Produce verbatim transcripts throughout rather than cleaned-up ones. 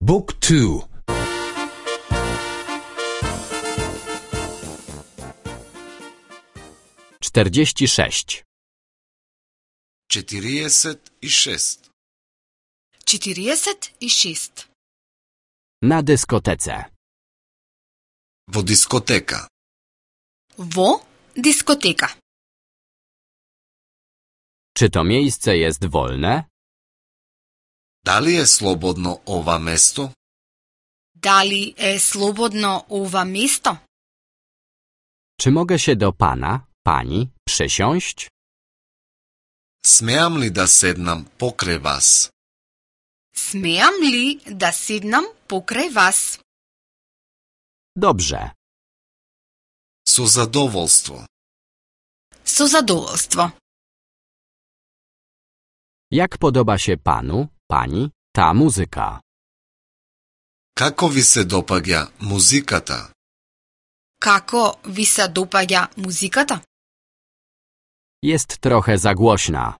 Book two. czterdzieści sześć. czterdzieści sześć. czterdzieści sześć. Na dyskotece. Во дискотека. Во дискотека. Czy to miejsce jest wolne? Дали е слободно ова место? Дали е слободно ова место? Czy mogę się do pana, pani przysiąść? Смеам ли да седнам покрај вас? Смеам ли да седнам покрај вас? Dobrze. Со задоволство. Со задоволство. Jak podoba się panu, pani, ta muzyka? Како ви се допаѓа музиката? Како ви се допаѓа музиката? Jest trochę za głośna.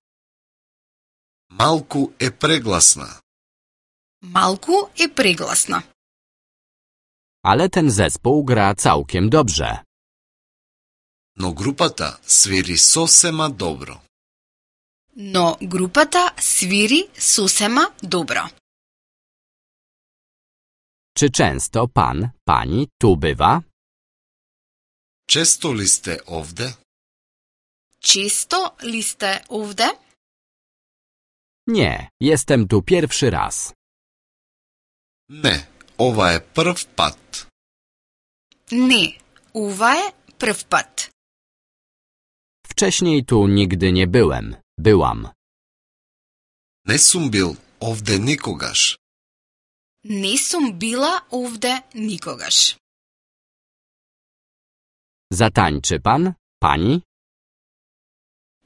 Малку е прегласна. Малку е прегласна. Ale ten zespół gra całkiem dobrze. Но групата свири сосема добро. Но групата свири сосема добро. Czy często pan, pani tu bywa? Често ли сте овде? Често ли сте овде? Nie, jestem tu pierwszy raz. Не, ова е прв пат. Не, ова е прв пат. Wcześniej tu nigdy nie byłem, byłam. Не сум бил овде никогаш. Не сум била овде никогаш. Zatańczy pan, pani?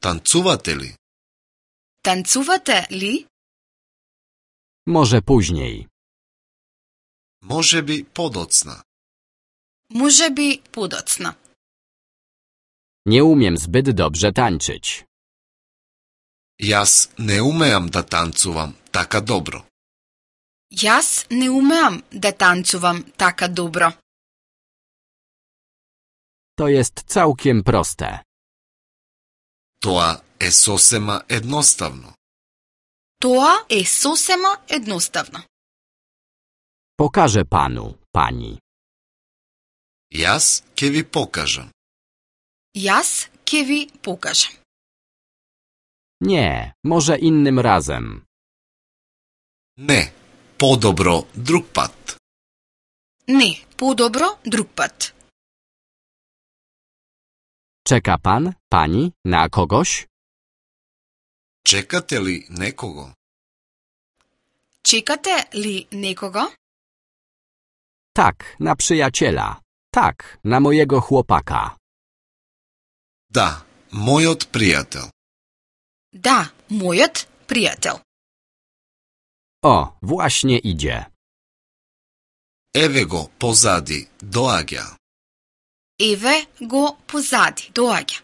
Танцувате ли? Танцувате ли? Może później. Може би подоцна. Може би подоцна. Nie umiem zbyt dobrze tańczyć. Јас не умеам да танцувам така добро. Јас не умеам да танцувам така добро. To jest całkiem proste. Тоа е сосема едноставно. Тоа е сосема едноставно. Pokażę panu, pani. Јас ќе ви покажам. Јас ќе ви покажам. Nie, może innym razem. Не, подобро друг пат. Не, подобро друг пат. Czeka pan, pani, na kogoś? Чекате ли некого? Чекате ли некого? Tak, na przyjaciela. Tak, na mojego chłopaka. Да, мојот пријател. Да, мојот пријател. O, właśnie idzie. Еве го позади, доаѓа. Еве го позади, доаѓа.